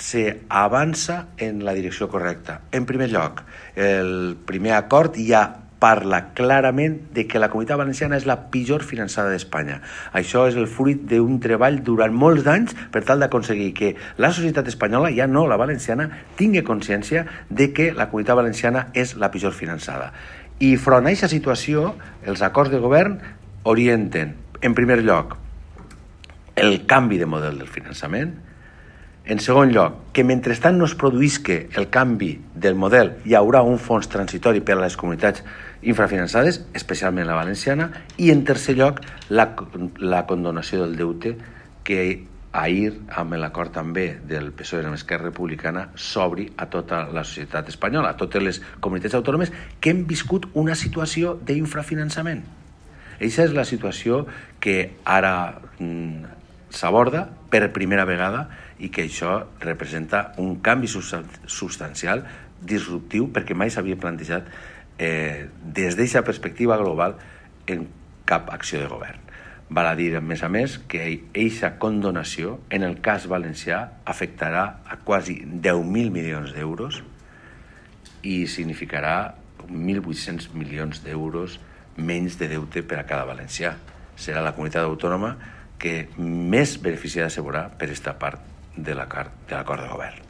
s'avança en la direcció correcta. En primer lloc, el primer acord ja parla clarament de que la Comunitat Valenciana és la pitjor finançada d'Espanya. Això és el fruit d'un treball durant molts d'anys per tal d'aconseguir que la societat espanyola, ja no la valenciana, tingui consciència de que la Comunitat Valenciana és la pitjor finançada. I front a aquesta situació, els acords de govern orienten, en primer lloc, el canvi de model del finançament. En segon lloc, que mentrestant no es produïsca el canvi del model, hi haurà un fons transitori per a les comunitats infrafinançades, especialment la valenciana. I en tercer lloc, la condonació del deute que ahir, amb l'acord també del PSOE amb Esquerra Republicana, s'obri a tota la societat espanyola, a totes les comunitats autònomes que hem viscut una situació d'infrafinançament. Aquesta és la situació que ara s'aborda per primera vegada i que això representa un canvi substancial, disruptiu, perquè mai s'havia plantejat des d'aquesta perspectiva global en cap acció de govern. Val a dir, a més, que aquesta condonació, en el cas valencià, afectarà a quasi 10.000 milions d'euros i significarà 1.800 milions d'euros menys de deute per a cada valencià. Serà la comunitat autònoma que més beneficiada se veurà per aquesta part de l'acord de govern.